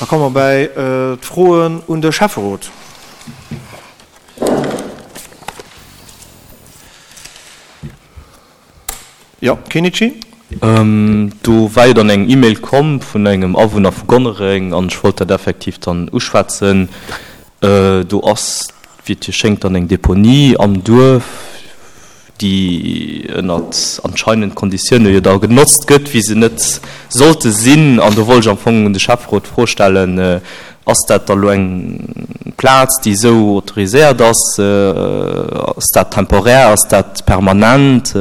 komme mer bäi d'Froen un de Schäfferot. Jo, Kenichi? Do war jo dann eng E-Mail komm vun engem Awunner vu Gonnereng an ech wollt dat effektiv dann uschwätzen. Do ass, wéi et jo schéngt, dann eng Deponie am Duerf, déi ënnert anscheinend Konditioune jo da genotzt gëtt, wéi se net sollte sinn. An do wollt ech am Fong un de Schäfferot d'Fro stellen, Ass dat da lo eng Plaz, déi esou autoriséiert ass? Ass dat temporär? Ass dat permanent?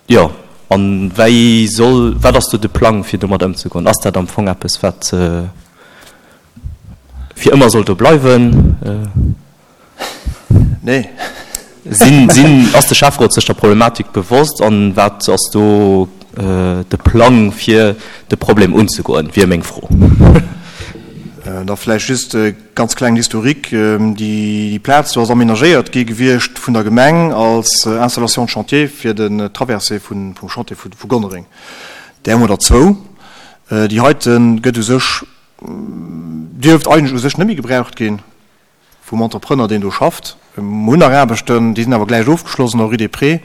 Jo, a wéi soll, wat ass do de Plang, fir domat ëmzegoen? Ass dat am Fong eppes, wat fir ëmmer soll do bleiwen? Nee. Sinn, sinn, ass de Schäfferot sech der Problematik bewosst an wat ass do de Plang fir de Problem unzegoen, wier meng Fro. Da vläicht just e ganz klengen Historique. Déi Plaz do ass aménagéiert gi gewiescht vun der Gemeng als Installation de chantier fir den Traversée vum Chantier vu Gonnereng. Där hu mer der zwou. Déi heite gëtt u sech, dierft eigentlech u sech net méi gebraucht ginn. Vum Entrepreneur, deen do schafft. Mer hunn nach Aarbechten, déi sinn awer gläich ofgeschloss an der Rue des Prés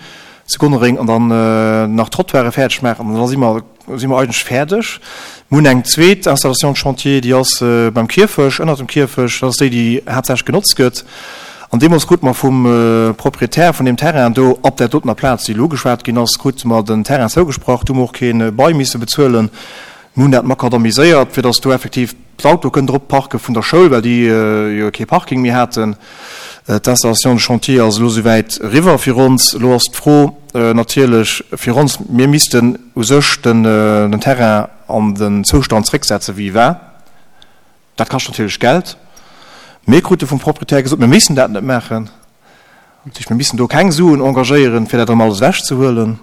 zu Gonnereng an dann nach d'Trottoiren fäerdeg maachen an da si mer, si mer eigentlech fäerdeg. Mer hunn eng zweet Installation de chantier, déi ass beim Kierfech, ënnert dem Kierfech, dat ass déi, déi haaptsächlech genotzt gëtt. An deemools krute mer vum Proprietär vun deem Terrain do op där dotener Plaz, déi elo ugeschwat ginn ass, krute mer den Terrain zougesprach. Do hu mer och kee Bail misse bezuelen. Mir hunn dat makadamiséiert, fir dass do effektiv d'Auto kënnen drop parke vun der Schoul, well déi jo kee Parking méi haten. D'Installation de chantier ass elo souwäit eriwwer fir ons. Elo ass d'Fro natierlech fir ons, mir missten u sech den Terrain an den Zoustand zrécksetzen, wéi e war. Dat kascht natierlech Geld. Mir krute vum Proprietär gesot, mir missten dat net maachen. Dat heescht, mir missten do keng Suen engagéieren, fir dat erëm alles ewechzehuelen.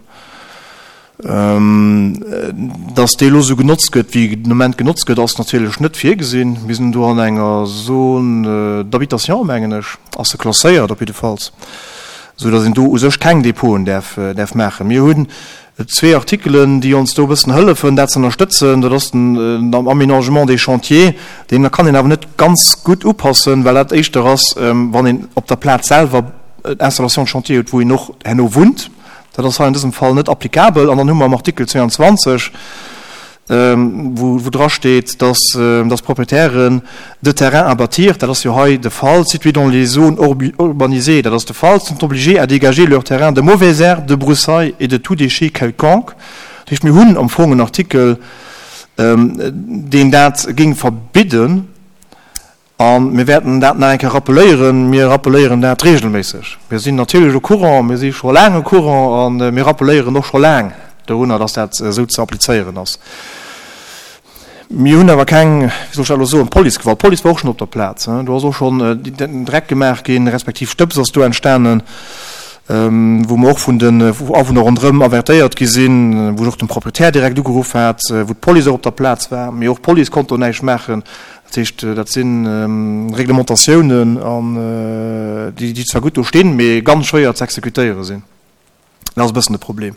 Datt dee elo esou genotzt gëtt, wéi den Ament genotzt gëtt, ass natierlech net virgesinn. Mir sinn do an enger Zone d'habitation, mengen ech, ass se klasséiert op jiddefalls, esou datt een do u sech keng Depoten däerf maachen. Mir hunn Zwee Artikelen, déi ons do e bëssen hëllefen, dat ze ënnerstëtzen, dat ass den Aménagement des chantiers. Deen kann een awer net ganz gutt upassen, well dat éischter ass, wann een op der Plaz selwer Installation de chantier huet, wou een och herno wunnt. Dat ass hei an dësem Fall net applicabel. An dann hu mer am Artikel 22, wou drasteet, dass dass d'Proprietären de terrains à bâtir, dat ass jo hei de Fall, situés dans les zones urbanisées, dat ass de Fall, sont obligés à dégager leurs terrains de mauvaises herbes, de broussailles et de tout déchet quelconque. Dat heescht, mir hunn am Fong en Artikel, deen dat géing verbidden. A mir wäerten dat nach eng Kéier rappeléieren. Mir rappeléieren dat regelméisseg. Mir sinn natierlech au courant, mir si scho laang au courant a mir rappeléieren och scho laang dorunner, dass dat esou ze applizéieren ass. Mir hunn awer keng, wéi soll ech dat elo soen, Policegewalt. D'Police war och schonn op der Plaz. Do ass och schonn Dreck gemaach ginn, respektiv Stëbs ass do entstanen, wou mer och vun den Awunner ronderëm avertéiert gi sinn, wou ech och den Proprietär direkt ugeruff hat, wou d'Police och op der Plaz war. Mee och d'Police konnt do näischt maachen. Dat heescht, dat si Reglementatiounen, déi zwar gutt do stinn, mee ganz schwéier ze exekutéiere sinn. Dat ass e bëssen de Problem.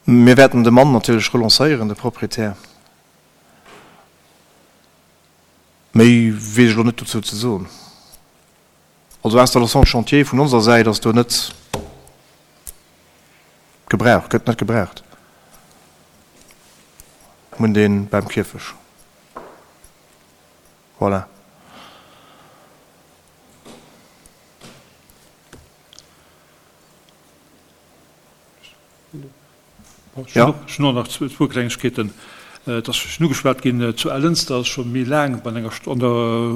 Mir wäerten de Mann natierlech relancéieren, de Proprietär. Méi weess ech elo net dozou ze soen. Also Installation de chantier vun onser Säit ass do net gebraucht, gëtt net gebraucht. Mir hunn dee beim Kierfech. Voilà. Ech hunn och nach zwou Klengegkeeten. Et ass schonn ugeschwat ginn, zu Ellënster ass scho méi laang bei enger, an der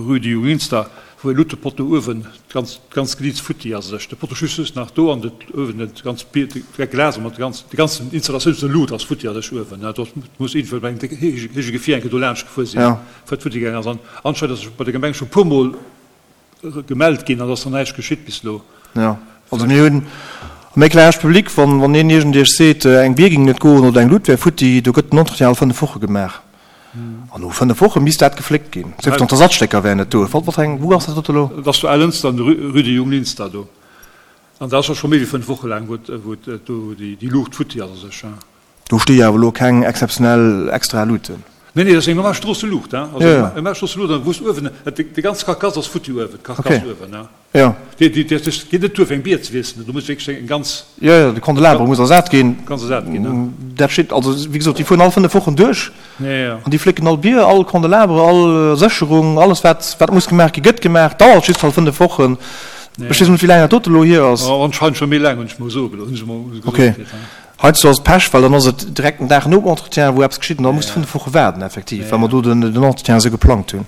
Rue du Junglinster, wou e Luttepotto uewen d'ganz, d'ganz Glieds futti ass. Ech, de Potto just just nach do an de uewen dat ganz Bier, de Glas mat de ganz, déi ganzen Installatioun vun der Lut ass futti a sech uewen. Do muss iergendwou bei engem héije Gefier eng Kéier do laanscht gefuer sinn, wou et futti gaangen ass. An anscheinend ass et bei der Gemeng scho puermol Gemellt ginn, an et ass nach näischt geschitt bis elo. Jo, also mir hunn am Éclairage public, wann wann een iergend Iech seet, eng Bier géing net goen oder eng Lut wär futti, do gëtt den Entretien all 5 Woche gemaach. An no 5 Woche misst dat gefléckt ginn. Sief dann d'Ersatzstécker wären net do. Wat wat eng, wou ass dat dote elo? Et ass zu Ellënster an der Rue de Junglinster do. An dat ass och scho méi wéi 5 Woche laang, wou et wou et do déi Luucht futti ass a sech. Do sti jo awer elo keng exzeptionell extra Luuten. Nee, nee, dat ass eng normal Stroosseluucht, hein. Also eng normal Stroosseluucht, an wou s uewen, déi ganz Karkass ass futti uewen, d'Karkass uewen, hein. Jo. Déi, déi, dat geet net duer fir eng Bier ze wiesselen, do muss wierklech eng ganz. Jo, jo, de Kandelaber muss ersat ginn. Ganz ersat ginn, hein. Dat steet, also wéi gesot, déi fueren all 5 Wochen duerch. Jo, jo. An déi flécken all Bier, all Kandelaber, all Sécherung, alles wat, wat muss gemaach ginn, gëtt gemaach. Dauert just halt 5 Wochen. Ech weess net, wéi laang dat dote elo hier ass. Anscheinend scho méi laang, hunn ech mol soe gelooss, hunn ech mol gesot kritt, hein. Heiansdo ass et Pech, well dann ass et direkt den Dag nom Entretien, wou eppes geschitt, an da muss de 5 Woche waarden effektiv, well mer do den Entretien esou geplangt hunn.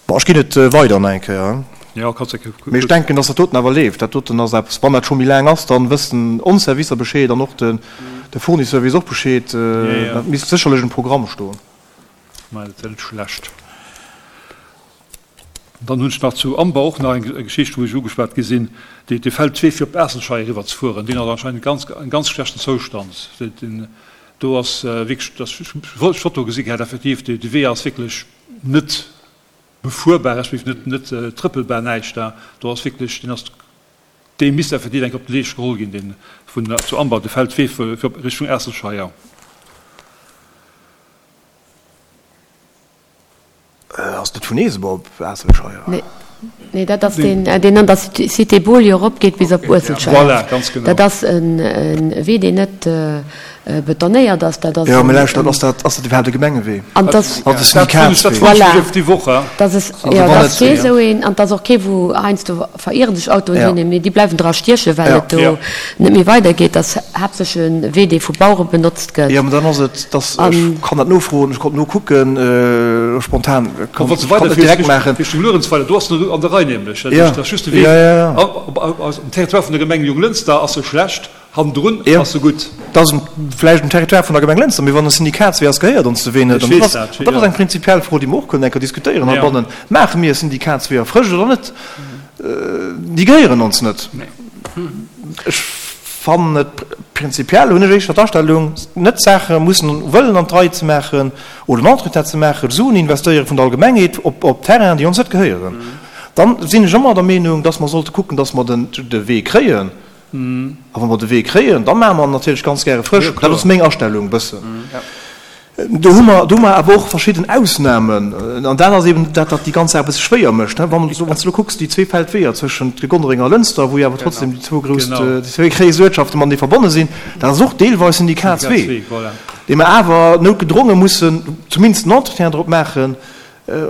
Bon, ech ginn et weider nach eng Kéier. Mee ech denken, dass dat doten awer leeft. Dat doten ass eppes, wann dat scho méi laang ass, dann wëssen ons Servicer Bescheed an och de Fournisseur weess och Bescheed. Dat misst sécherlech um Programm stoen. Mä dat wär net schlecht. Dann hunn ech nach zu Amber och nach eng Geschicht, wou ech ugeschwat gi sinn, dee dee Feldwee fir op Aasselscheier eriwwer ze fueren, deen ass anscheinend ganz en ganz schlechten Zoustand. Deen do ass wierklech, dat ech hu d'Foto gesi gehat, effektiv, dee dee Wee ass wierklech net befuerbar, respektiv net net trëppelbar, näischt da. Do ass wierklech, deen ass, dee misst effektiv eng Kéier op de Leescht geholl ginn, deen vun zu Amber, de Feldwee fir op Richtung Aasselscheier. Ass net vun Eesebuer op Aasselscheier? Nee, nee, dat ass deen, deen an der Cité Beaulieu eropgeet bis op Uesselscheier. Voilà, ganz genau. Dat ass e Wee, deen net betonéiert ass. Dat ass Jo, mee lauschtert, ass dat, ass dat iwwerhaapt e Gemengewee? An dass. Dat ass e Syndikatswee. Voilà. Déi Woch, hein? Dat ass, jo, dat ass kee esou een. An 't ass och kee, wou heiansdo verieren sech Autoen hin, mee déi bleiwen dra stiechen, well et do net méi weidergeet. Dat ass haaptsächlech e Wee, dee vu Bauere benotzt gëtt. Jo, mä dann ass et, dass, ech kann dat nofroen, ech konnt nokucken, spontan, kann et net direkt maachen. Richtung Luerenzweiler, do ass en an der Rei nämlech. Dat ass just de Wee am Territoire vun der Gemeng Jonglënster ass e schlecht. Hannendrun ass se gutt. Dat ass vläicht um Territoire vun der Gemeng Lënster, mee wann e Syndikatswee ass, gehéiert ons de Wee net. An dat ass, dat ass eng prinzipiell Fro, déi mer och kënnen eng Kéier diskutéieren heibannen. Maache mir Syndikatsweeër frësch oder net? Déi gehéieren ons net. Ech fannen et prinzipiell, hunn ech éischter d'Astellung, net Saache mussen wëllen an d'Rei ze maachen oder en Entretien ze maachen, Suen investéiere vun der Allgemengheet op, op Terrainen, déi ons net gehéieren. Dann sinn ech ëmmer der Meenung, dass mer sollte kucken, dass mer den, de Wee kréien. A wa mer de Wee kréien, da maache mer en natierlech ganz gäre frësch. Dat ass meng Astellung e bëssen. Do hu mer, do hu mer awer och verschidden Ausnamen. An dat ass eben dat, wat déi ganz Saach e bësse schwéier mécht. Wann s du elo kucks, déi zwee Feldweeër zwëschent Gonnereng a Lënster, wou jo awer trotzdem déi zwou grouss, déi zwéi gréisst Uertschafte matenee verbonne sinn, dat ass och deelweis Syndikatswee, dee mer awer noutgedronge mussen zumindest en Entretien drop maachen,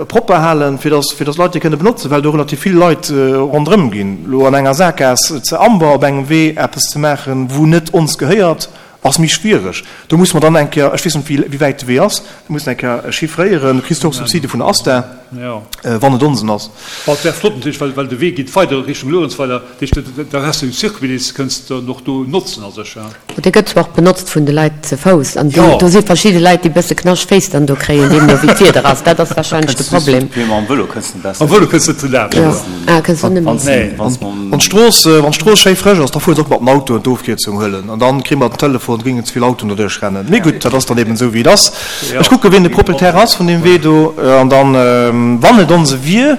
propper halen, fir dass, fir dass d'Leit déi kënne benotzen, well do relativ vill Leit ronderëm ginn. Elo an enger Sakgaass ze Amber op engem Wee eppes ze maachen, wou net ons gehéiert, ass méi schwiereg. Do musse mer dann eng Kéier, ech weess net, wéi wäit de Wee ass, do mussen eng Kéier chiffréieren. Du kriss do och Subside vun der ASTA, wann et onsen ass. Bon, et wär flott natierlech, well, well de Wee geet weider Richtung Luerenzweiler, dat heescht, da häss de en Circuit, deen s de kënns dann och do notzen a sech. Dee gëtt zwar och benotzt vun de Leit ze Fouss, an do si verschidde Leit, déi bësse knascht Féiss dann do kréien, deemno wéi d'Wieder ass. Dat ass warscheinlech de Problem. Mam Vëlo kënns de besser. Mam Vëlo kënns de net laanscht. Jo, ah, kënns du net méi. Wann d'Strooss, wann d'Strooss schéi frësch ass, da fuere se och mat den Autoen d'Ofkierzung huelen, an dann kréie mer den Telefon, et géingen ze vill Autoen doduerch rennen. Mee gutt, dat ass dann eben esou wéi et ass. Ech kucke wien de Proprietär ass vun deem Wee do, an dann, wann et onse wier,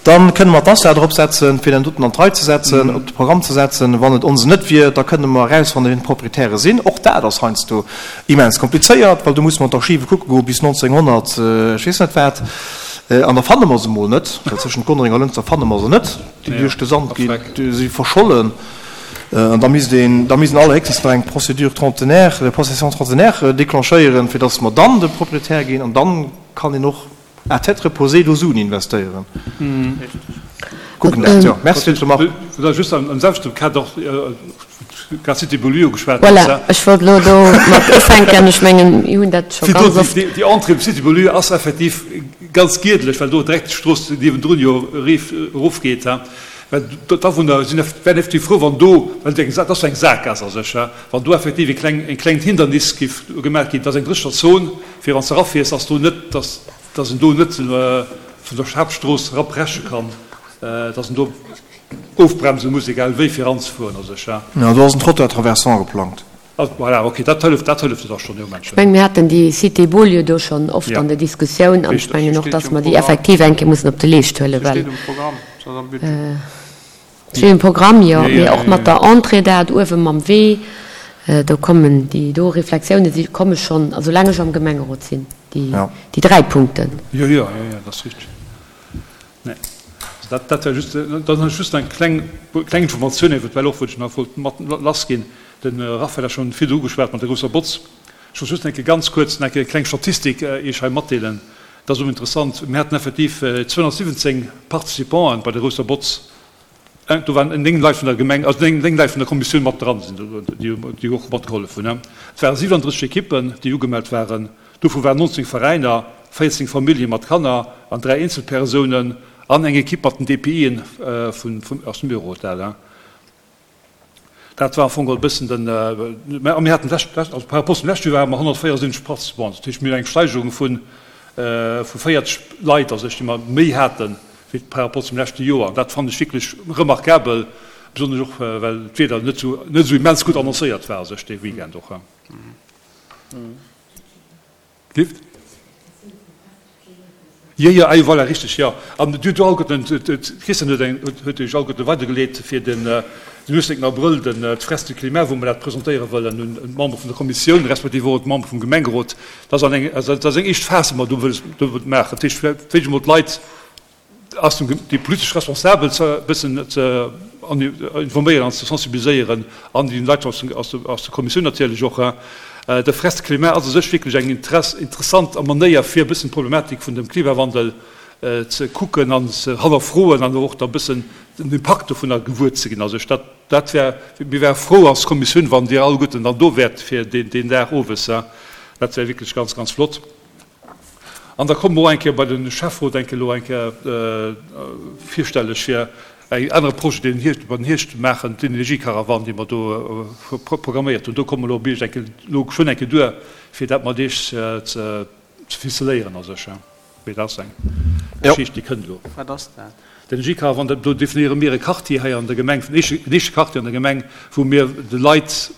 Dann kënne mer d'Assa drop setzen, fir den doten an d'Rei ze setzen, op de Programm ze setzen. Wann et onsen net wier, da kënne mer erausfannen, wien d'Proprietäre sinn. Och dat ass heiansdo immens komplizéiert, well do musse mer an d'Archive kucke goe bis 1900 ech weess net wat. An da fanne mer se emol net, well zwëschent Gonnereng a Lënster fanne mer se net, déi duerch de Sand ginn, déi si verschollen. An da misst een, da misst een allerhéchstens nach eng Procédure trentenaire, de possession trentenaire déclenchéieren, fir datt mer dann de Proprietär ginn. An dann kann een och À tête reposée do Suen investéieren. Kucken dat, jo. Merci fir d'Remarque. Vläicht just am selwechte Kader, grad Cité Beaulieu ugeschwat. Voilà, ech wollt elo do mat ufänken. Ech mengen, mir hunn dat scho ganz oft. Déi Entrée Cité Beaulieu ass effektiv ganz giedlech, well do direkt d'Strooss niewendrun jo erofgeet. Well d'Awunner sinn, wären effektiv frou, wann do, well dat ass jo eng Sakgaass a sech, wann do effektiv e kleng, e klengt Hindernis géif gemaach ginn. Dat ass eng dréchener Zon. Fir wann s de erafiers, ass do net, dass, dass en do net vun der Haaptstrooss erapreche kann, dass en do ofbremse muss, egal wéi, fir eranzefueren a sech, ja. Jo, do ass en Trottoir traversant geplangt. Ah, voilà, ok, dat hëlleft, dat hëlleft jo da schonn, jo, Menschen. Ech mengen, mir haten déi Cité Beaulieu do schonn oft an der Diskussioun an ech mengen och, dass mer déi effektiv eng Kéier mussen op de Leescht huelen, well. Se steet um Programm, se ass am Budget. Steet um Programm, jo, mee och mat der Entrée dat uewe mam Wee. Do kommen déi do Reflexiounen, si komme schonn, a soulaang ech am Gemengerot sinn, déi 3 Punkten. Jo, jo, jo, jo, dat ass richteg. Nee, also dat, dat war just, dann hunn ech just nach eng kleng, kleng Informatioun eventuell och, wou ech nach wollt mat lassginn. De Raphaël hat schonn virdru ugeschwat mat der grousser Botz. Ech wollt just eng Kéier ganz kuerz nach eng Kéier eng kleng Statistik Iech hei matdeelen. Dat ass och interessant. Mir haten effektiv 217 Participanten bei der grousser Botz. Do waren 9 Leit vun der Gemeng, also 9 Leit vun der Kommissioun mat dran, déi och matgehollef hunn. Et ware 37 Ekippen, déi ugemellt waren. Dovu waren 19 Veräiner, 14 Famillje mat Kanner an 3 Eenzelpersounen an eng Ekipp mat den DPIen aus dem Büro. Dat war am Fong geholl e bëssen den, a mir haten d'lescht, also par rapport zum leschte Joer hate mer 174 Participanten. Dat heescht, mir hunn eng Steigerung vu 40 Leit a sech, déi mer méi haten, wéi par rapport zum leschte Joer. An dat fannen ech wierklech remarkabel, besonnesch och, well d'Wieder net esou, net esou immens gutt annoncéiert war a sech dee Weekend och. Lift? Jo, jo, ah jo, voilà, richteg, jo. An Dir hutt jo alleguerten, d'Christine huet eng, huet Iech alleguerten weidergeleet fir den, den 18 Abrëll, den, d'Fresque du climat, wou mer dat presentéiere wëllen un d'Membere vun der Kommissioun, respektiv och un d'Membere vum Gemengerot. Dat ass an eng, also dat ass eng éischt Phas, déi mer do wëlles, do wëllt maachen. Dat heescht, wéi emol d'Leit ass dem déi politesch Responsabel ze e bëssen ze informéieren an ze sensibiliséieren an déi Leit aus aus aus der Kommissioun natierlech och. De Frest Climat ass u sech wierklech eng Interess interessant Manéier fir e bëssen d'Problematik vun dem Klimawandel ze kucken an ze hannerfroen an och da bëssen den Impakt dovunner gewuer ze ginn. Also ech dat dat wär mir wäre frou als Kommissioun wann Dir alleguerten dann do wäert fir deen deen Dag owes. Dat wär wierklech ganz ganz flott. An da komme mer och eng Kéier bei de Schäfferot eng Kéier elo eng Kéier virstelleg fir en anere Projet, deen den mer den Hierscht maachen, d'Energiekarawann, déi mer do programméiert hunn. Do komme mer elo op Iech eng Kéier elo geschwënn eng Kéier duer, fir dat mat Iech ze ficeléieren a sech. Mee dat ass eng Geschicht, déi kënnt elo. Wat ass dat? D'Energiekarawann, do definéiere mir e Quartier hei an der Gemeng, den éischte Quartier an der Gemeng, wou mir de Leit,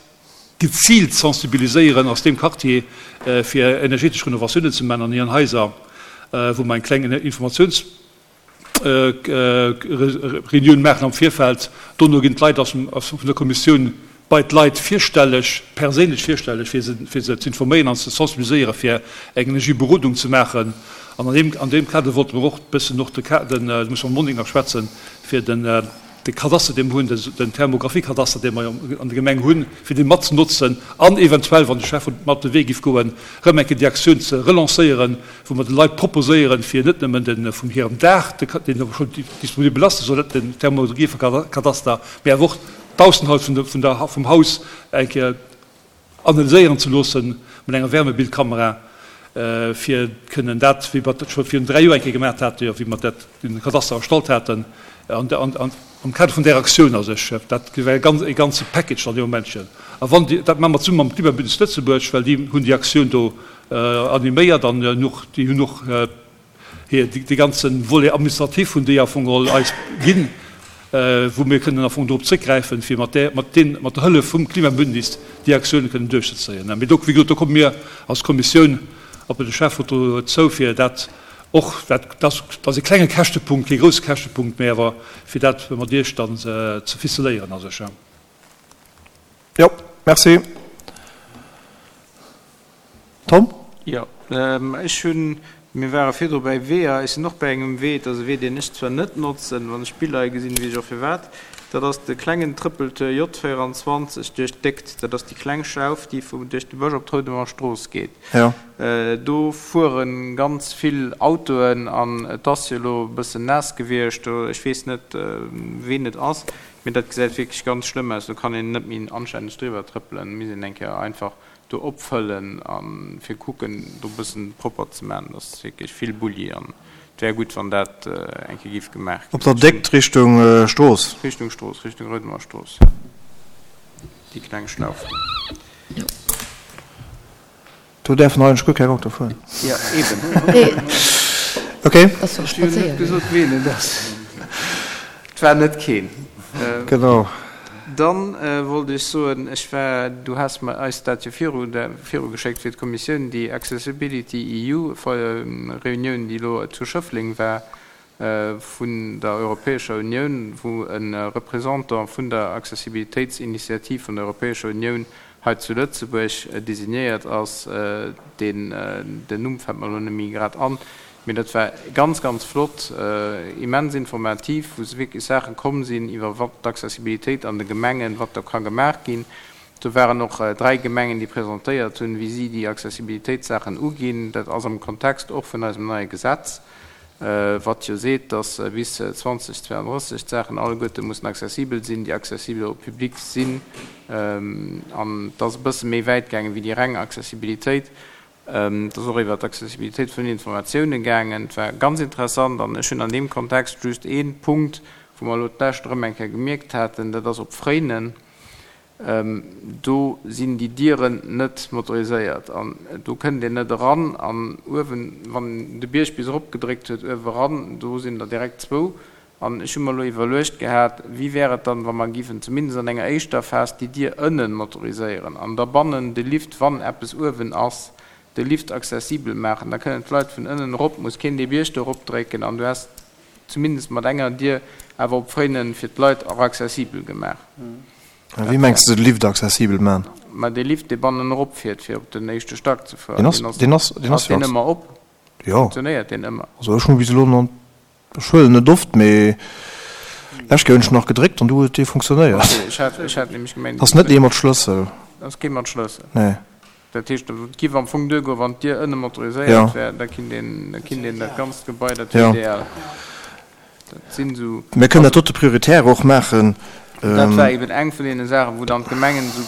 geziilt sensibiliséieren aus deem Quartier fir energetesch Renovatiounen ze man an hiren Haiser, wou mer eng kleng Informatiounsreunioun maachen am Virfeld. Dono ginn d'Leit aus vun der Kommissioun bei d'Leit virstelleg, perséinlech virstelleg, fir se fir se ze informéieren an ze sensibiliséieren, fir eng Energieberodung ze maachen. An an deem an deem Kader wollte mer och e bëssen och de den, do muss mer mam Monique nach schwätzen, fir den, de Kadaster, dee mer hunn, den Thermographie-Kadaster, dee mer an der Gemeng hunn, fir dee mat ze notzen an eventuell, wann de Schäfferot mat op de Wee géif goen, erëm eng Kéier déi Aktioun ze relancéieren, wou mer de Leit proposéieren, fir net nëmmen de vun hirem Daach, deen awer schonn disponibel ass, den Thermographie-Kadaster, mee awer och d'Aussenhaut vum Haus eng Kéier analyséieren ze loossen mat enger Wärmebildkamera, fir kënnen dat, wéi mer dat scho virun 3 Joer eng Kéier gemaach haten, jo, wéi mer dat, den Kadaster erstallt haten, an, an, am Kader vun där Aktioun a sech, dat wär e ganz, e ganze Package dann dee Momentchen. A wann déi, dat maache mer zesumme mam Klimabündnis Lëtzebuerg, well déi hunn déi Aktioun do animéiert an hunn och, déi hunn och, Hir, dee ganze Volet administratif hunn déi am Fong geholl eis ginn, wou mir kënnen am Fong dorop zréckgräifen, fir mat där, mat deen, mat der Hëllef vum Klimabündnis déi Aktiounen kënnen duerchzezéien. Mee do, wéi gesot, do komme mir als Kommissioun op de Schäfferot dozou, fir dat och, dat ass, dat ass e klenge Käschtepunkt, kee grousse Käschtepunkt, mee awer fir dat mat Iech dann ze ficeléieren a sech. Jo, merci. Tom? Jo, ech hunn, mir ware virdru bäi Weeër, ech sinn och bäi engem Wee, et ass e Wee, deen ech zwar net notzen, wann ech d'Biller hei gesinn, weess ech och firwat, dat ass de klengen Trëppeltour J 24 duerch d'Déckt, dat ass déi kleng Schauf, déi vu duerch de Bësch op d'Roudemer Strooss geet. Jo. Do fuere ganz vill Autoen an et ass jo elo e bëssen naass gewiescht, do, ech weess net, ween et ass, mee dat gesäit wierklech ganz schlëmm aus, do kann een net méi anstänneg driwwer trëppelen, misst een eng Kéier einfach do opfëllen a fir kucken do bëssen propper ze man. Dat ass wierklech vill Bulli an et wär gutt wann dat eng Kéier giff gemaach ginn. Op der Déckt Richtung Strooss? Richtung Strooss, Richtung Roudemer Strooss, déi kleng Schlauf do. Do däerfen eigentlech guer keng Auto fueren. Jo, eben. Ok. Ech hunn net gesot ween et ass. Et war net keen. Genau. Dann wollt ech soen, ech war, du has mer eis dat jo viru viru geschéckt fir d'Kommissioun, déi Accessibility EU Reunioun, déi elo zu Schëffleng war vun der Europäescher Unioun, wou e Représentant vun der Accessibilitéitsinitiativ vun der Europäescher Unioun. Hei zu Lëtzebuerg designéiert ass. Deen, den Numm fält mer elo net méi grad an, mee dat war ganz, ganz flott, immens informativ, wou se wierklech Saache komm sinn iwwer wat d'Accessibilitéit an de Gemengen, wat do ka gemaach ginn. Do waren och 3 Gemengen, déi presentéiert hunn, wéi si déi Accessibilitéitssaachen uginn. Dat ass am Kontext och vun eisem neie Gesetz, wat jo seet, dass bis 2032 d'Saachen alleguerte mussen accessibel sinn, déi accessibel au public sinn. An et ass e bësse méi wäit gaangen wéi déi reng Accessibilitéit. Et ass och iwwert d'Accessibilitéit vun den Informatiounen gaangen. Et war ganz interessant. An ech hunn an deem Kontext just ee Punkt, wou mer elo d'lescht erëm eng Kéier gemierkt haten, dat ass op Fréinen. Do sinn déi Dieren net motoriséiert an do kënnt een net eran. An uewen, wann een de Bierg bis erop gedréckt huet, uewe eran, do sinn der direkt zwou. An ech hu mer elo iwwerluecht gehat, wéi wär et dann, wa mer giffen zumindest an enger éischter Phas déi Dier ënnen motoriséieren an da bannen de Lift, wann eppes uewen ass, de Lift accessibel maachen. Da kënnen d'Leit vun ënnen erop, muss keen dee Bierg do eropdrécken an du häss zumindest mat enger Dier awer op Fréinen fir d'Leit och accessibel gemaach. A wéi mengs de de Lift accessibel man? Ma dee Lift dee bannen erop fiert fir op den éischte Stack ze fueren, deen ass, deen ass, deen ass deen ëmmer op? Jo. Funktionéiert deen ëmmer? Also ech hu bis elo nach, ech huelen net oft, mee lescht Kéier hunn ech nach gedréckt an du huet dee funktionéiert. Ok, ech hat, ech hat nämlech gemengt. Ass net ee mat Schlëssel. Ass kee mat Schlëssel? Nee. Dat heescht, et giff am Fong duergoen, wann d'Dier ënne motoriséiert wär, da kinnt een, da kinnt een dat ganzt Gebai, dat wier ideal. Dat sinn esou. Mir kënnen dat dote prioritär och maachen. Dat war eben eng vun deene Saachen, wou dann d'Gemengen esou,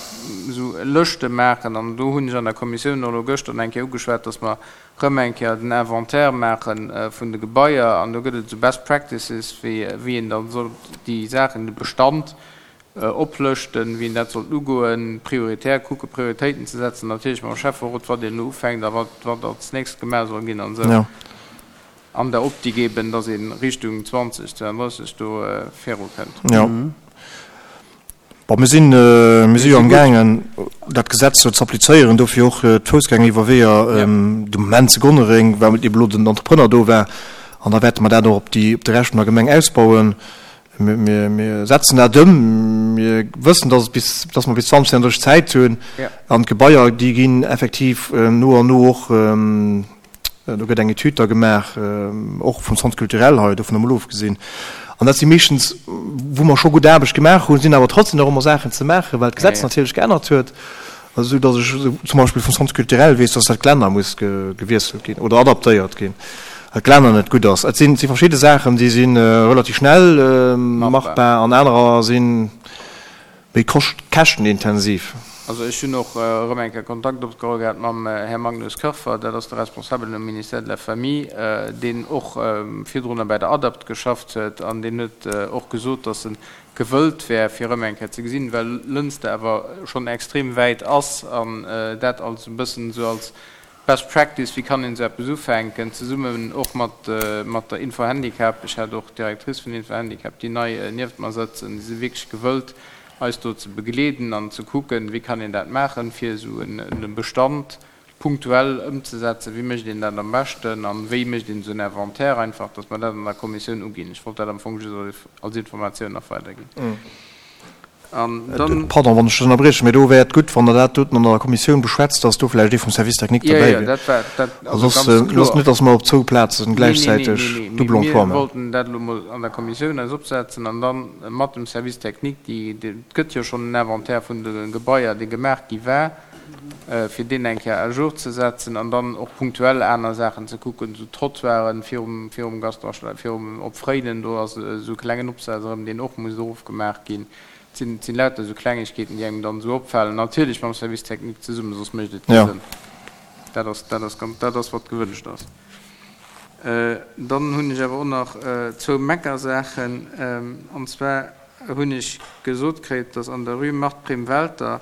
esou Lëschte maachen. An do hunn ech an der Kommissioun och elo gëschter eng Kéier ugeschwat, dass mer erëm eng Kéier den Inventaire maache vun de Gebaier. An do gëtt et esou Best Practices, wéi, wéi een da sollt déi Saachen, de Bestand oplëschten, wéi een dat sollt ugoen, prioritär kucken, Prioritéiten ze setzen, natierlech mam Schäfferot, wat een elo ufänkt a wat, wat als nächst gemaach soll ginn an esou, an der Optik eben, dass ee Richtung 2032 do virukënnt. Jo. Bon, mir sinn, mir si jo amgaangen, dat Gesetz do z'applizéieren, dofir och d'Foussgängeriwwerweeër de Moment zu Gonnereng, well eben elo den Entrepreneur do war, an da wäerte mer dat och op déi, op de Rescht vun der Gemeng ausbauen. Mir setzen dat ëm. Mir wëssen, dass et bis, dass mer bis 2032 Zäit hunn. An d'Gebaier, déi ginn effektiv no an no och, do gëtt eng Etüd da gemaach, och vum Centre culturel hei, dovun emol ofgesinn. An dat si meeschtens, wou mer scho gutt Aarbecht gemaach hunn, sinn awer trotzdem nach ëmmer Saachen ze maachen, well d'Gesetz natierlech geännert huet. Esou datt ech zum Beispill vum Centre culturel weess, datt dat Gelänner muss gewiesselt ginn oder adaptéiert ginn, well d'Gelänner net gutt ass. Et sinn verschidde Saachen, déi si relativ schnell machbar an anerer si méi käschtenintensiv. Also ech hunn och erëm eng Kéier Kontakt opgeholl gehat mam Här Magnus Koerfer, dat ass de Responsabelen um Ministère de la Famille, deen och virdrunner bäi der ADAPT geschafft huet an deen huet och gesot, datt en gewëllt wär fir erëm eng Kéier ze gesinn, well Lënster awer schonn extrem wäit ass an dat als e bëssen esou als Best Practice, wéi kann een esou eppes ufänken, zesummen och mat mat der Info-Handicap, ech hat och d'Directrice vun Info-Handicap, déi nei nieft mer sëtzen, déi si wierklech gewëllt eis do ze begleeden an ze kucken, wéi kann een dat maachen, fir esou e Bestand punktuell ëmzesetzen, wéi mécht een dat am beschten an wéi mécht een esou en Inventaire einfach, dass mer dat an der Kommissioun uginn. Ech wollt dat am Fong just als Informatioun nach weiderginn. An dann. Pardon, wann ech dech ënnerbriechen, mä do wär et gutt, wann Der dat doten an der Kommissioun beschwätzt, dass do vläicht ee vum Service technique derbäi wier. Jo, jo, dat war, dat also ganz kloer. Soss net, dass mer op zwou Plazen gläichzäiteg double emploi maachen. Mir wollten dat elo mol an der Kommissioun eis opsetzen an dann mat dem Service technique, déi, et gëtt jo schonn en Inventaire vun de Gebaier, dee gemaach gi war, fir deen eng Kéier à jour ze setzen an dann och punktuell aner Saachen ze kucken, esou Trottoiren virum, virum Gaston Schneider, virum, op Fréinen, do ass esou e klengen Opsaz erëm, deen och muss erofgemaach ginn. Et sinn, et sinn lauter esou Klengegkeeten, déi engem dann esou opfalen, natierlech mam Service technique zesummen, soss mécht et kee Sënn. Dat ass, dat ass ganz, dat ass wat gewënscht ass. Dann hunn ech awer och nach zwou Meckersaachen, an zwar hunn ech gesot kritt, dass an der Rue Marthe Prim-Welter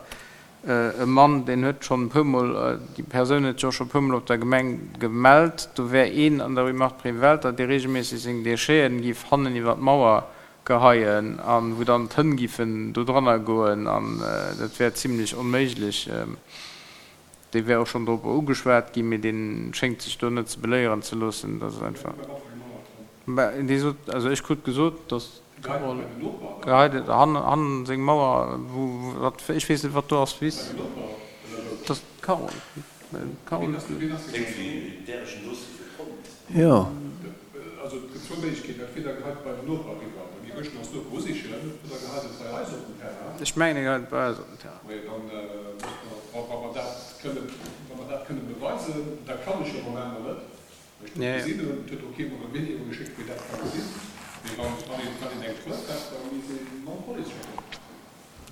E Mann, deen huet schonn e puermol, déi Persoun huet sech och scho e puermol op der Gemeng gemellt, do wär een an der Rue Marthe Prim-Welter, dee reegelméisseg seng Décheten giff hannen iwwer d'Mauer geheien an wou dann d'Hënn giffen do dranner goen an dat wär zimlech onméiglech. Dee wär och schonn dorop ugeschwat ginn, mee dee schéngt sech do net ze beléieren ze loossen. Dat ass einfach. Mä dee sot, also ech krut gesot, datt geheit et hannen seng Mauer, wou, wat, ech weess net, wat do ass, Wiss. D'Carole. D'Carole. Jo. Also et gëtt zwou Méiglechkeeten, entweder geheit et bei den Noper eriwwer, da gi Wëschen als Noper usichen, oder geheit et bei eis op den Terrain. Ech mengen, e geheit et bei eis op den Terrain. Majo, dann musse mer, wa mer dat kënnen, wa mer dat kënnen beweisen, dat kann ech jo am Moment nach net, well ech net gesinn hunn, et huet och kee mer e Video geschéckt, wéi dat ka gesinn, mee wann, wann een, wann een eng Preuve hätt, da misst ee mam Police schwätzen.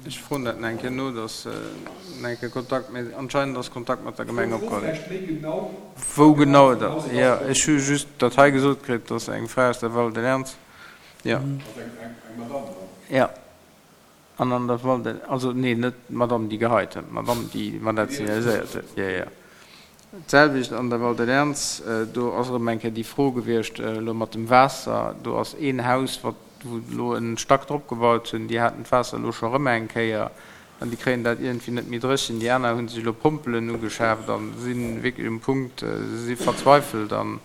Ech froen dat nach eng Kéier no, dass nach eng Kéier Kontakt, mä anscheinend ass Kontakt mat der Gemeng opgeholl ginn. Wou genau et ass, jo, ech hu just dat hei gesot kritt, dass eng Fra aus der Val de Lernz, jo. Jo, an an der Val de, also nee, net d'Madame déi geheit huet, d'Madame déi mer dat signaliséiert huet, jo, jo. D'selwecht an der Val de Lernz, do ass erëm eng Kéier déi Fro gewiescht elo mat dem Waasser. Do ass een Haus, wat, wou elo en Stack drop gebaut hunn, déi haten d'Waasser elo scho erëm eng Kéier an déi kréien dat iergendwéi net méi dréchen. Déi aner hu sech elo Pompelen ugeschaaft a si wierklech um Punkt, si verzweifelt an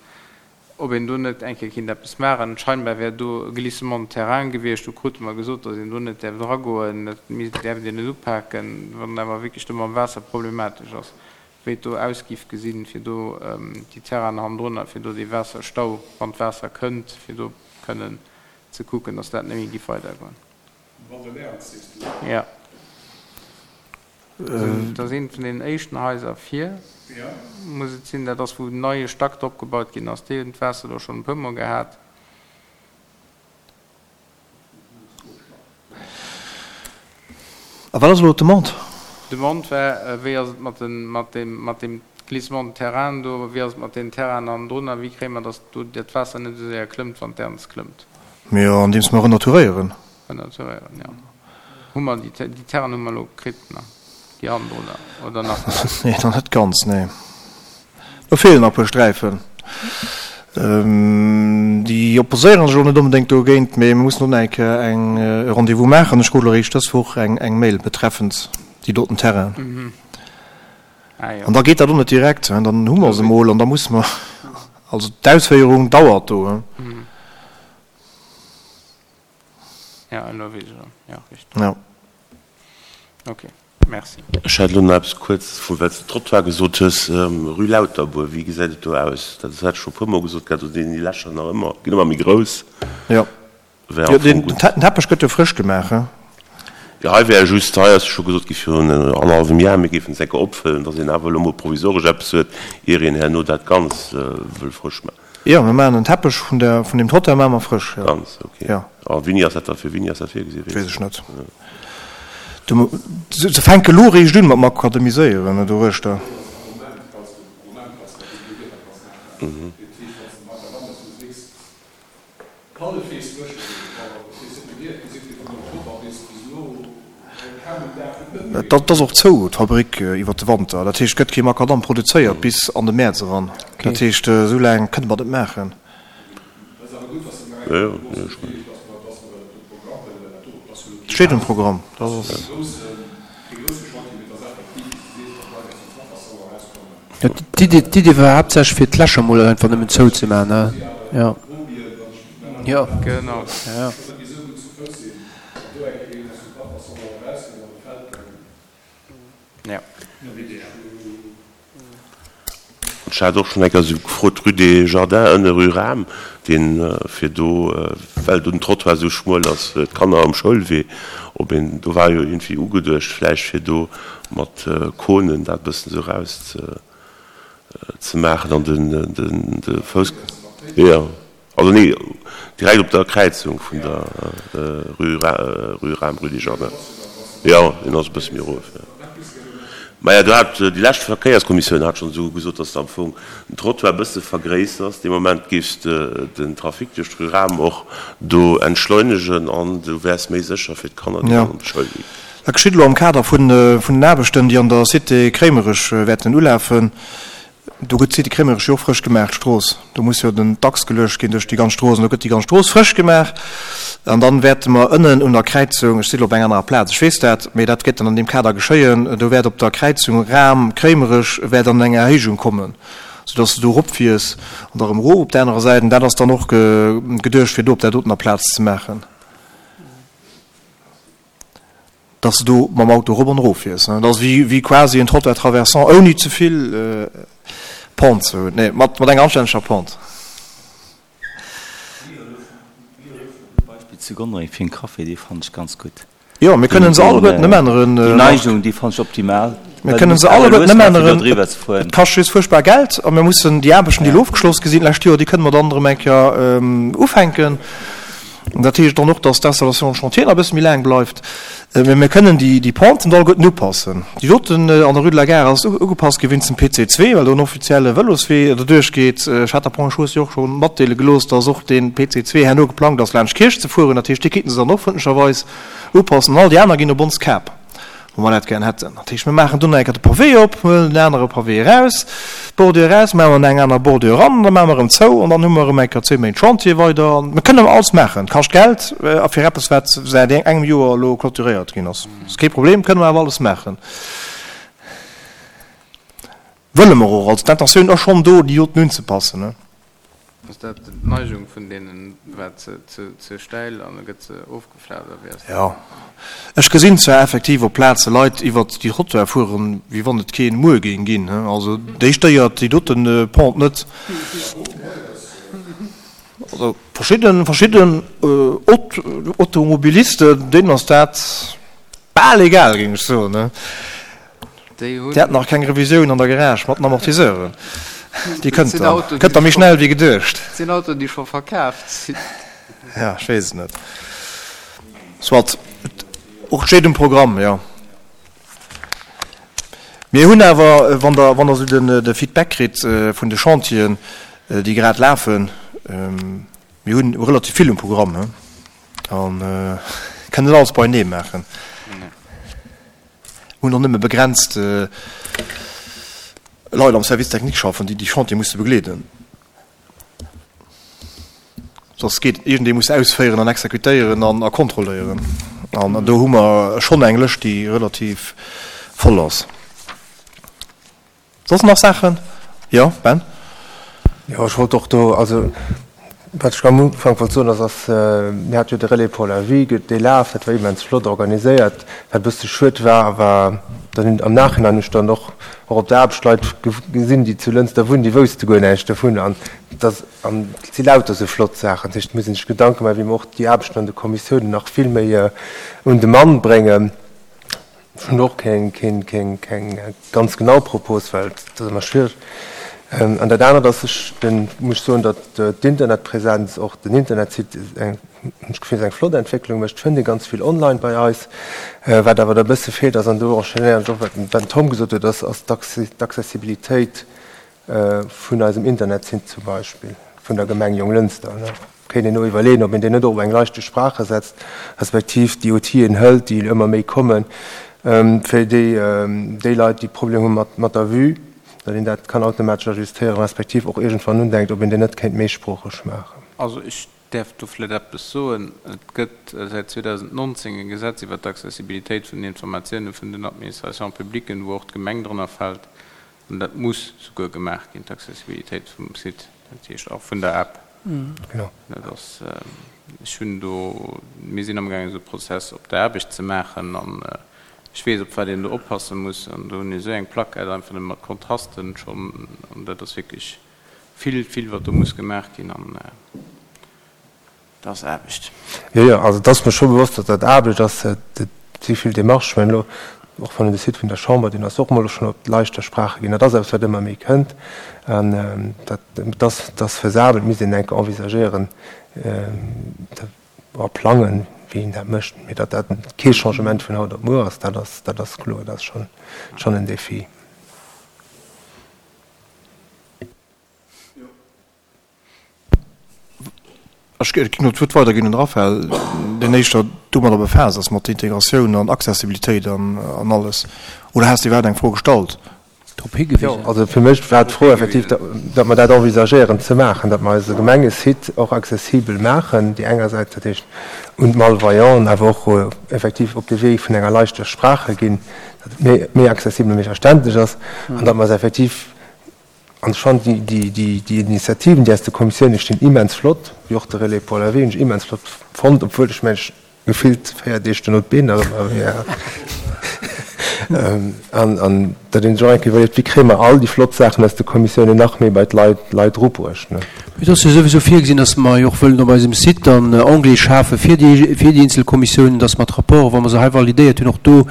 ob een do net eng Kéier kinnt eppes maachen. Scheinbar wär do e Glissement de terrain gewiescht. Do krute mer gesot, datt een do net däerf dragoen, dat däerft een net upaken, wann awer wierklech do mam Waasser problematesch ass. wéi et do aus giff gesinn, fir do déi Terrainen hannendrunner, fir do dee Waasserstau, wann d'Waasser kënnt, fir do kënnen ze kucken, dass dat net méi giff weidergoen. Val de Lärz, sees du? Jo. Dat ass eent vun deenen éischten Haiser vir, muss et sinn. Dat ass, wou en neie Stack drop gebaut ginn ass. Déi hunn d'Waasser do schonn e puermol gehat. A wat ass elo d'Demande? D'Demande war, wéi ass et mat den, mat deem, mat deem Glissement de terrain do, wéi ass et mat deenen Terrainen hannendrun a wéi kréie mer, datt do dat Waasser net esou séier klëmmt, wann d'Ernz klëmmt? Jo, andeems mer renaturéieren. Renaturéieren, jo. Hu mer déi, déi Terrainen hu mer elo kritt, ne? Déi hannendrunner, oder nach net? Nee, nach net ganz, nee. Do feelen nach e puer Sträifen. Déi opposéieren sech och net onbedéngt dogéint, mee mir mussen och nach eng Kéier eng e Rendez-vous maachen. Ech krut elo eréischt dës Woch eng eng Mail betreffend déi doten Terrainen. An da geet dat och net direkt, dann hu mer se emol an da musse mer, also d'Ausféierung dauert do. Jo, elo weess ech erëm. Jo, richteg. Jo. Ok, merci. Ech hätt elo nach eppes kuerz, vu well s de Trottoir gesot hues, Rue Lauterbour, wéi gesäit et do aus? Dat hat ech scho e puermol gesot gehat, do sinn déi Lächer nach ëmmer, ginn ëmmer méi grouss. Jo, Wär am den Fong gutt. Teppech gëtt jo frësch gemaach, he? Jo, hei wär just, hei ass jo scho gesot gi virun annerhallwem Jar, mir géifen d'Säcke opfëllen, datt een awer elo mol provisoresch eppes huet, ier een herno dat Ganz wëll frësch maachen. Jo, mir maachen den Teppech vun der, vun deem Trottoir maache mer frësch, jo. Ganz, ok. Jo. A wéini ass dat da, fir wéini ass dat virgesinn? Weess ech net. Du, se fänke lo eréischt un mat makademiséieren doruechter. Dat ass och zou, d'Fabrik, iwwer de Wanter. Dat heescht, et gëtt kee Makadam produzéiert bis an de Mäerz eran. Dat heescht, esou laang kënne mer dat net maachen. Et steet um Programm. Dat ass. D'Idee war haaptsächlech fir d'Lächer mol einfach nëmmen zou ze maachen, ne? Jo. Jo. Genau. Jo. Jo. Ech hat och schonn eng Kéier esou gefrot, rue des Jardins, ënne rue Rahm, deen, fir do, well do den Trottoir esou schmuel ass fir d'Kanner um Schoulwee, ob een, do war jo iergendwéi ugeduecht vläicht fir do mat Konen dat e bëssen esou eraus ze, ze maachen an den, den, de Fouss, jo. Also nee, direkt op der Kräizung vun der rue Rahm, rue des Jardins. Jo, deen ass e bësse méi erof, jo. Maja, do hat déi lescht Verkéierskommissioun hat schonn esou gesot, dass de am Fong den Trottoir e bësse vergréisserst. Dee Moment géifs de den Trafic duerch d'rue Rahm och do entschleunegen an du wäers méi sécher fir d'Kanner, déi dann an d'Schoul ginn. Dat geschitt elo am Kader vun den Aarbechten, déi an der Cité Kréimerech wäerten ulafen. Do gëtt d'Cité Crémerich jo och frësch gemaach, d'Strooss. Do muss jo den d'Achs geluecht ginn duerch déi ganz Strooss an do gëtt déi ganz Strooss frësch gemaach. An dann wäerte mer ënnen un der Kräizung, ech si lo op enger anerer Plaz, ech weess dat, mee dat gétt dann an deem Kader geschéien, do wäert op der Kräizung Ram, Crémerich wäert dann eng Erhéijung kommen, soudass de do eropfiers an da erëm erof op där anerer Säit. An dat ass dann och geduecht, fir do op där dotener Plaz ze maachen. Dass de do mam Auto erop an erof fiers. Dat ass wéi quasi en Trottoir traversant ouni ze vill Pente ze hunn. Nee, mat enger anstänneger Pente. Beispill zu Gonnereng fir en Café, dee fannen ech ganz gutt. Jo, mir kënnen se alleguerten ëmänneren, Déi Marc. Neigung, déi fannen ech optimal. Mir kënnen se alleguerten ëmänneren. Et kascht just fuerchtbar Geld a mir mussen déi Aarbechten, déi elo ofgeschloss gi sinn d'lescht Joer, déi kënne mer dann erëm eng Kéier ufänken. Dat heescht dann och, dass d'Installation en chantier nach e bësse méi laang bleift. Mä mir kënnen déi Penten do alleguerten upassen. Déi doten an der Rue de la Gare ass ugepasst gi wéinst dem PC2, well do en offizielle Vëloswee derduerch geet. Ech hat der Point Chaussée jo och scho matdeele gelooss, dass och dee PC2 herno geplangt ass, laanscht d'Kierch ze fueren. Dat heescht, dee kéinten se dann och frëndlecherweis upassen. An all déi aner ginn op ons Kap. Wou mer dat gären hätten. Dat heescht, mir maachen do nach eng Kéier de Pavé op, huelen den anere Pavé eraus, d'Bordure eraus, maachen eng aner Bordure eran, da maache mer erëm zou an dann hu mer erëm eng Kéier zwéi Méint Chantier weider. Mir kënnen alles maachen. Et kascht Geld a fir eppes, wat säit engem Joer elo clôturéiert ginn ass, ass kee Problem, kënne mer awer alles maachen. Wëlle mer och. Also d'Intentioun ass schonn do, déi doten unzepassen. Ass dat d'Neigung vun deenen war ze stäil an da gëtt se ofgeflaut oder wéi ass dat? Jo, ech gesinn zwar effektiv op Plaze Leit iwwert déi Trottoire fueren, wéi wann et keen Muer géing ginn. Also déi stéiert déi doten Pente net. Also verschidden verschidden Automobilisten, deenen ass dat bal egal, géing ech soen. Déi hunn. Déi haten nach keng Revisioun an der Garage mat den Amortiseuren. Déi kënnt dann. Kënnt da méi schnell wéi geduecht. Dat sinn Autoen, déi scho verkaaft sinn. Ja, ech weess et net. Soit. Och et steet um Programm, jo. Mir hunn awer, wann Der, wann Der esou den, de Feedback kritt vun de Chantieren, déi grad lafen, mir hunn relativ vill um Programm, he, an kënnen net alles beienee maachen. Hunn och nëmme begrenzt Leit am Service technique schaffen, déi déi Chantiere musse begleeden. Soss geet iergendee muss ausféieren an exekutéieren an a kontrolléieren. An do hu mer schonn eng Lëscht, déi relativ voll ass. Soss nach Saachen? Jo, Ben? Jo, ech wollt och do, also wat ech am Ufank wollt soen, ass, ass, mir hate jo de Relais pour la vie, dee Laf, dat war immens flott organiséiert. Wat e bësse schued war, war dann hunn am Nachhinein hunn ech dann och och op der Aarbecht Leit gesinn, déi zu Lënster wunnen, déi wousste guer näischt dovun. An dass, an et si lauter esou flott Saachen. Dat heescht, et muss ee sech Gedanke maachen, wéi mer och déi Aarbechten an de Kommissiounen nach vill méi un de Mann bréngen. Ech hunn och keng ganz genau Propos, well dat ass ëmmer schwiereg. An dat anert ass, ech muss soen, datt d'Internetpräsenz, och den Internetsite, eng, hunn ech d'Gefill, ass eng flott Entwécklung mécht. Et fënnt ee ganz vill online bei eis. Wat awer da e bësse feelt ass, an do enchaînéieren ech och, wat den Tom gesot huet, ass d'Accessibilitéit vun eisem Internetsite zum Beispill vun der Gemeng Jonglënster. Kéint een och iwwerleeën, ob een deen net och op eng leichte Sprache setzt, respektiv déi Outiller hëlt, déi ëmmer méi kommen, fir déi déi Leit, déi Problemer hu mat mat der Vue, datt een dat kann automatesch ajustéieren, respektiv och iergendwann undenkt, ob een deen net kéint méisproocheg maachen. Also ech däerf do vläicht eppes soen. Et gëtt säit 2019 e Gesetz iwwert d'Accessibilitéit vun den Informatiounen vun den Administrations publiques, wou och d'Gemeng drënner fält. An dat muss souguer gemaach ginn, d'Accessibilitéit vum Site, dat heescht och vun der App. Genau. Dat ass, ech hunn do, mir sinn amgaangen esou e Prozess op der Aarbecht ze maachen an ech weess, op wat een do oppasse muss. An do hunn ech esou eng Plaquette einfach nëmme mat Kontrasten schonn an dat ass wierklech vill, vill wat do muss gemaach ginn an. Dat ass Aarbecht. Jo, jo, also et ass mer scho bewosst, datt dat Aarbecht ass. Et si vill Démarchen. Ech mengen elo, och wann een de Site vun der Chamber, deen ass och emol schonn op d'Leichter Sprache ginn, dat ass eppes, wat ëmmer méi kënnt. An dat, et ass, et ass faisabel, et misst een enke envisagéieren a plangen, wéi een dat mécht. Mee datt dat kee Changement vun haut op muer ass, dat ass, dat ass kloer. Dat ass schonn, schonn en Défi. Ech géing elo d'Wuert weiderginn un de Raphaël, deen éischter domadder befaasst ass, mat Integratioun an Accessibilitéit an alles. Oder has de iwwerhaapt eng Fro gestallt? Drop higewisen. Jo, also fir mech war d'Fro effektiv, datt mer dat envisagéieren ze maachen, datt mer eise Gemengesite och accessibel maachen, déi engersäits, dat heescht un d'Malvoyanten, awer och effektiv op de Wee vun enger leichter Sprache ginn, datt et méi accessibel, méi verständlech ass an datt mer se effektiv An ech fannen déi Initiativen, déi aus de Kommissiounen stinn, immens flott, wéi och de Relais pour la vie hunn ech immens flott fonnt, obwuel ech mengen, ech. Gefillt 4 Deeg duerno d'Been nach ëmmer wéi hat. An, an datt een sech och eng Kéier iwwerleet, wéi kréie mer all déi flott Saachen aus de Kommissiounen nach méi bei d'Leit, Leit erubruecht, ne? Et ass jo souwisou virgesinn, datt mer jo och wëllen op eisem Site dann Onglete schafe fir déi, fir déi eenzel Kommissiounen, datt mer d'Rapporten, wa mer se hei validéiert hunn, och do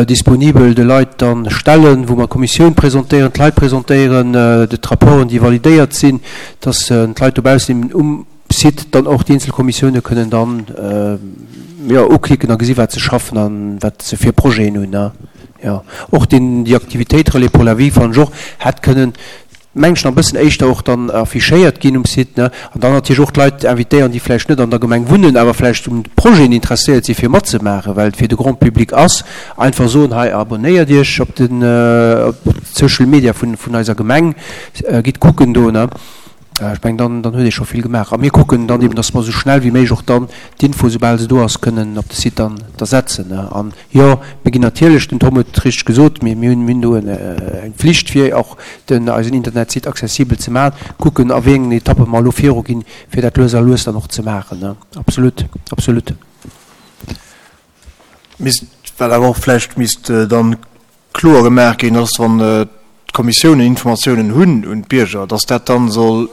disponibel de Leit dann stellen, wou mer d'Kommissioun presentéieren, d'Leit presentéieren, d'Rapporten, déi validéiert sinn, datt d'Leit dobaussen eben um Site dann och déi eenzel Kommissioune kënnen dann, jo, uklicken a gesi wat se schaffen a wat se fir Projeten hunn. Jo, och deen, déi Aktivitéit Relais pour la vie fannen ech och hätt kënnen, meng ech, nach e bëssen éischter och dann affichéiert ginn um Site, ne, an dann natierlech och d'Leit invitéieren, déi vläicht net an der Gemeng wunnen, awer vläicht un Projeten interesséiert si fir matzemaachen, well et fir de Grand public ass, einfach soen, hei abonnéiert Iech op den, op d'Social Media vun, vun eiser Gemeng, gitt kucken do, ne. Ech mengen, dann, dann huet ee scho vill gemaach. A mir kucken dann eben, dass mer esou schnell wéi méiglech och dann d'Info, soubal se do ass, kënnen op de Site dann da setzen. An jo, mir ginn natierlech, den Tom huet et richteg gesot, mir, mir hunn, mir hunn do eng Pflicht, fir och den, eisen Internetsite accessibel ze maachen, kucken, a wéi engen Etappe mer elo viruginn, fir dat lues a lues dann och ze maachen. Absolut, absolut. Misst, wat awer och vläicht misst dann kloer gemaach ginn ass, wann d'Kommissiounen Informatiounen hunn un d'Bierger, dass dat dann soll,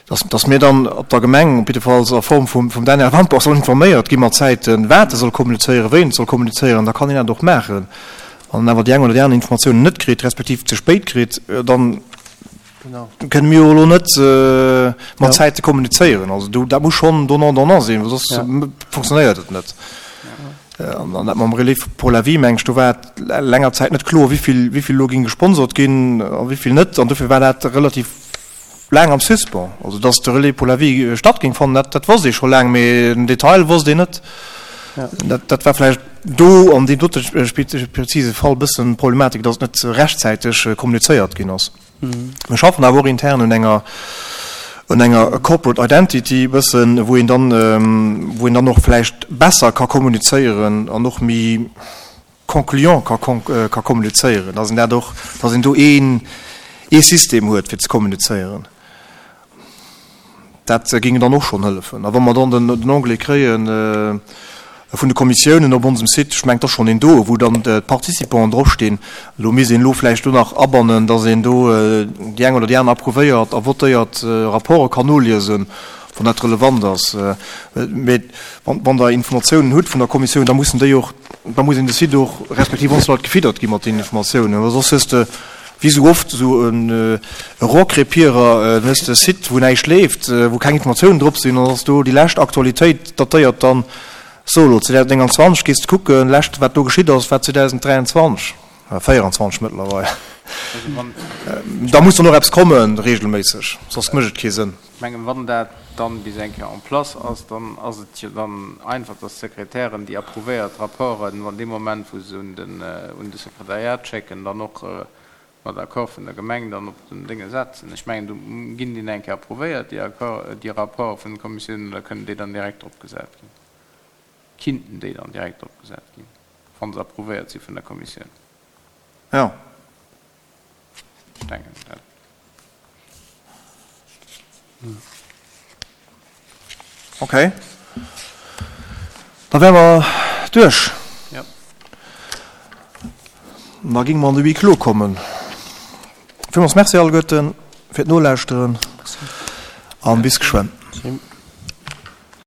dass, dass mir dann op der Gemeng, op jiddefalls a Form vum, vum Daniel Wampach, sollen informéiert gi mat Zäiten, wat e soll kommunizéieren, wéi en et soll kommunizéieren, da kann een dat och maachen. Wann en awer déi eng oder déi aner Informatiounen net kritt, respektiv ze spéit kritt, dann kënne mir jo elo net mat Zäite kommunizéieren. Also do, dat muss schonn donnant-donnant sinn, well soss funktionéiert et net. An dat mam Relais pour la vie, meng ech, do war et länger Zäit net kloer, wéi vill elo géing gesponsert ginn a wéi vill net. An dofir war dat relativ laang am Suspens. Also datt de Relais pour la vie statt géing fannen, dat wosst ee scho laang, mee den Detail wosst een net. Dat war vläicht do an deem dote prezise Fall e bëssen d'Problematik, datt et net rechtzäiteg kommunizéiert ginn ass. Mir schaffen awer och intern un enger un enger Corporate Identity e bëssen, wou een dann, wou een dann och vläicht besser ka kommunizéieren an och méi concluant ka ka kommunizéieren, dass een dat och, dass een do een ee System huet fir ze kommunizéieren. Dat géing dann och schonn hëllefen. A wa mer dann den Onglet kréie vun de Kommissiounen op onsem Site, ech mengen, et ass schonn een do, wou dann d'Participanten dropstinn. Elo misst een elo vläicht do nach abannen, datt een do déi eng oder déi aner approuvéiert a votéiert Rapporte kann noliesen, wann dat relevant ass. Mee wann Der Informatiounen hutt vun der Kommissioun, da mussen déi och, da muss een de Site och, respektiv ons Leit gefiddert gi mat deenen Informatiounen, well soss hues de, Wéi sou oft esou e Rohrkrepierer, dann hues de e Site wou näischt leeft, wou keng Informatiounen drop sinn, an dann ass do déi lescht Aktualitéit datéiert dann, so elo 2029 gees de kucken, lescht wat do geschitt ass war 2023, 24 mëttlerweil. Da muss dann och eppes kommen regelméisseg, soss mécht et kee Sënn. Ech mengen, wann dat dann bis eng Kéier en place ass, dann ass et jo dann einfach, dass d'Sekretären déi approuvéiert Rapporten, wann dee Moment, wou se un den, un de Sekretariat schécken, dann och mat Accord vun der Gemeng dann op den Dénge setzen. Ech mengen, do ginn déi nach eng Kéier approuvéiert, déi Accord, déi Rapporte vun den Kommissiounen, oder kënnen déi dann direkt drop gesat ginn? Kinnten déi dann direkt drop gesat ginn, wa se approuvéiert si vun der Kommissioun? Jo. Ech denken, dat. Okay. Da wäre mer duerch. Ja. Da géinge mer an de Huis clos kommen. Villmools Merci alleguerten fir d'Nolauschteren an bis geschwënn. Merci.